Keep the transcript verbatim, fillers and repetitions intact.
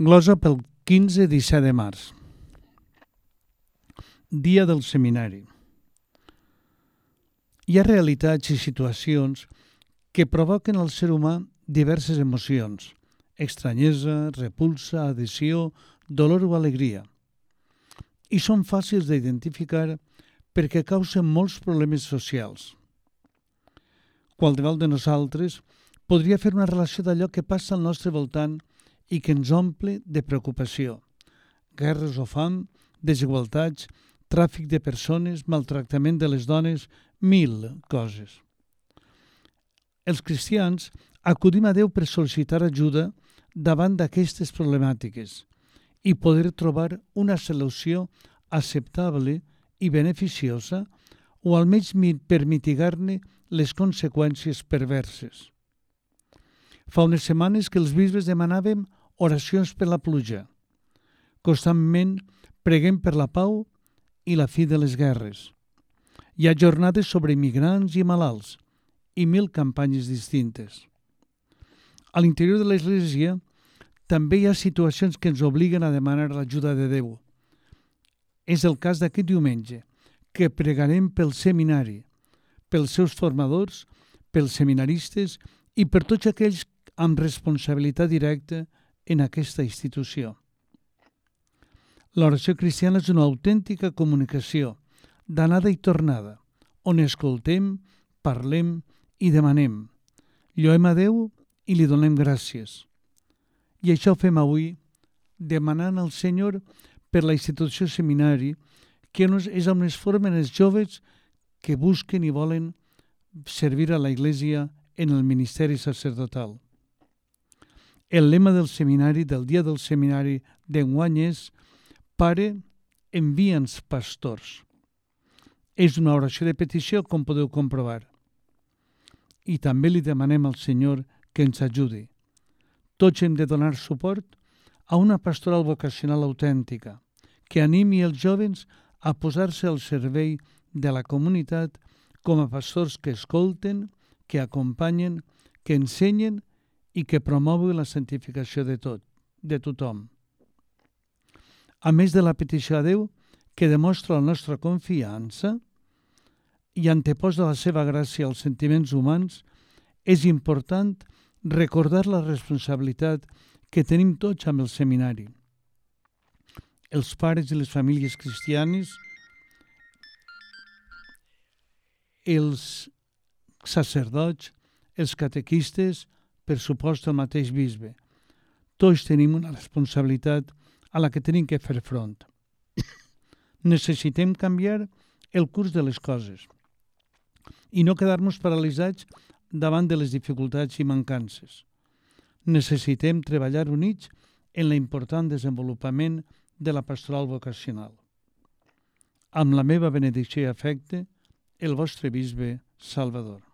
Glosa pel quinze i disset de març. Dia del seminari. Hi ha realitats i situacions que provoquen al ser humà diverses emocions: estranyesa, repulsa, adhesió, dolor o alegria. I són fàcils d'identificar perquè causen molts problemes socials. Qualsevol de nosaltres podria fer una relació d'allò que passa al nostre voltant i que ens omple de preocupació. Guerres o fam, desigualtats, tràfic de persones, maltractament de les dones, mil coses. Els cristians acudim a Déu per sol·licitar ajuda davant d'aquestes problemàtiques i poder trobar una solució acceptable i beneficiosa o almenys per mitigar-ne les conseqüències perverses. Fa unes setmanes que els bisbes demanàvem oracions per la pluja. Constantment preguem per la pau i la fi de les guerres. Hi ha jornades sobre immigrants i malalts i mil campanyes distintes. A l'interior de l'Església també hi ha situacions que ens obliguen a demanar l'ajuda de Déu. És el cas d'aquest diumenge, que pregarem pel seminari, pels seus formadors, pels seminaristes i per tots aquells amb responsabilitat directa en aquesta institució. L'oració cristiana és una autèntica comunicació, d'anada i tornada, on escoltem, parlem i demanem. Lloem a Déu i li donem gràcies. I això ho fem avui, demanant al Senyor per la institució seminari, que és on es formen els joves que busquen i volen servir a la Iglesia en el ministeri sacerdotal. El lema del seminari, del dia del seminari d'enguany és Pare, envia'ns pastors. És una oració de petició, com podeu comprovar. I també li demanem al Senyor que ens ajudi. Tots hem de donar suport a una pastoral vocacional autèntica, que animi els jovens a posar-se al servei de la comunitat com a pastors que escolten, que acompanyen, que ensenyen i que promouen la santificació de tot, de tothom. A més de la petició a Déu, que demostra la nostra confiança i anteposa la seva gràcia als sentiments humans, és important recordar la responsabilitat que tenim tots amb el seminari. Els pares i les famílies cristianes, els sacerdots, els catequistes, per supost el mateix bisbe. Tots tenim una responsabilitat a la que tenim que fer front. Necessitem canviar el curs de les coses i no quedar-nos paralitzats davant de les dificultats i mancances. Necessitem treballar units en l'important desenvolupament de la pastoral vocacional. Amb la meva benedicció i afecte, el vostre bisbe Salvador.